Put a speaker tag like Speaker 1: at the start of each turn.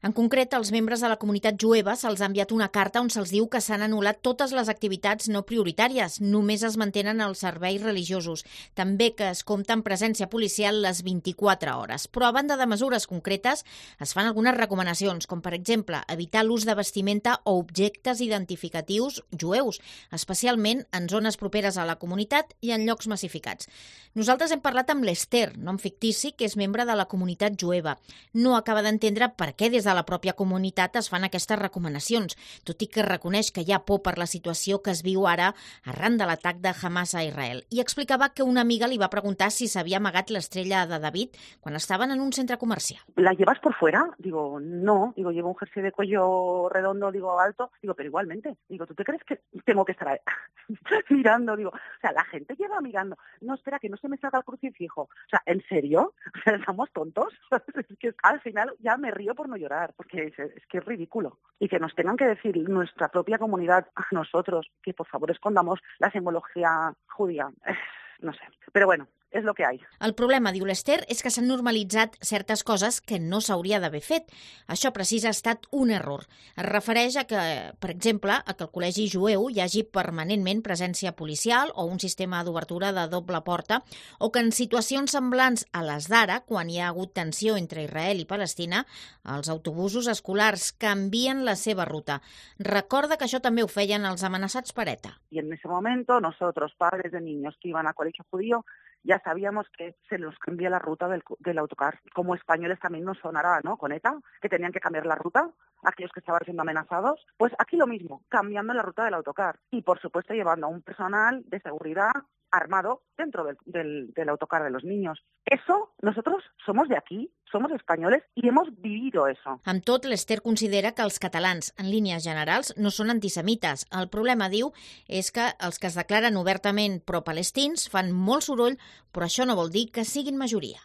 Speaker 1: En concret, als membres de la comunitat jueva se'ls ha enviat una carta on se'ls diu que s'han anul·lat totes les activitats no prioritàries, només es mantenen els serveis religiosos, també que es compta amb presència policial les 24 hores. Però a banda de mesures concretes, es fan algunes recomanacions, com per exemple evitar l'ús de vestimenta o objectes identificatius jueus, especialment en zones properes a la comunitat i en llocs massificats. Nosaltres hem parlat amb l'Ester, nom fictici, que és membre de la comunitat jueva. No acaba d'entendre per què des de la pròpia comunitat es fan aquestes recomanacions, tot i que reconeix que hi ha por per la situació que es viu ara arran de l'atac de Hamas a Israel. I explicava que una amiga li va preguntar si s'havia amagat l'estrella de David quan estaven en un centre comercial.
Speaker 2: ¿La llevas por fuera? Digo, no. Digo, llevo un jersey de cuello redondo, digo, alto. Digo, pero igualmente. Digo, ¿tú te crees que tengo que estar ahí mirando? Digo, o sea, la gente lleva mirando. No, espera, que no se me salga el crucifijo. O sea, ¿en serio? O sea, ¿estamos tontos? Es que al final ya me río por no llorar, porque es que es ridículo. Y que nos tengan que decir nuestra propia comunidad a nosotros que por favor escondamos la simbología judía. No sé. Pero bueno, és el que hi ha.
Speaker 1: El problema, diu l'Ester, és que s'han normalitzat certes coses que no s'hauria d'haver fet. Això precís ha estat un error. Es refereix a que, per exemple, a que al col·legi jueu hi hagi permanentment presència policial o un sistema d'obertura de doble porta, o que en situacions semblants a les d'ara, quan hi ha hagut tensió entre Israel i Palestina, els autobusos escolars canvien la seva ruta. Recorda que això també ho feien els amenaçats per ETA.
Speaker 2: Y en ese momento nosotros, padres de niños que iban a colegio judío, ya sabíamos que se nos cambia la ruta del autocar. Como españoles también nos sonará, ¿no? Con ETA, que tenían que cambiar la ruta, aquellos que estaban siendo amenazados. Pues aquí lo mismo, cambiando la ruta del autocar. Y, por supuesto, llevando a un personal de seguridad armado dentro del autocar de los niños. Eso, nosotros somos de aquí, somos españoles i hemos vivido eso.
Speaker 1: Amb tot, l'Ester considera que els catalans, en línies generals, no són antisemites. El problema, diu, és que els que es declaren obertament pro-palestins fan molt soroll, però això no vol dir que siguin majoria.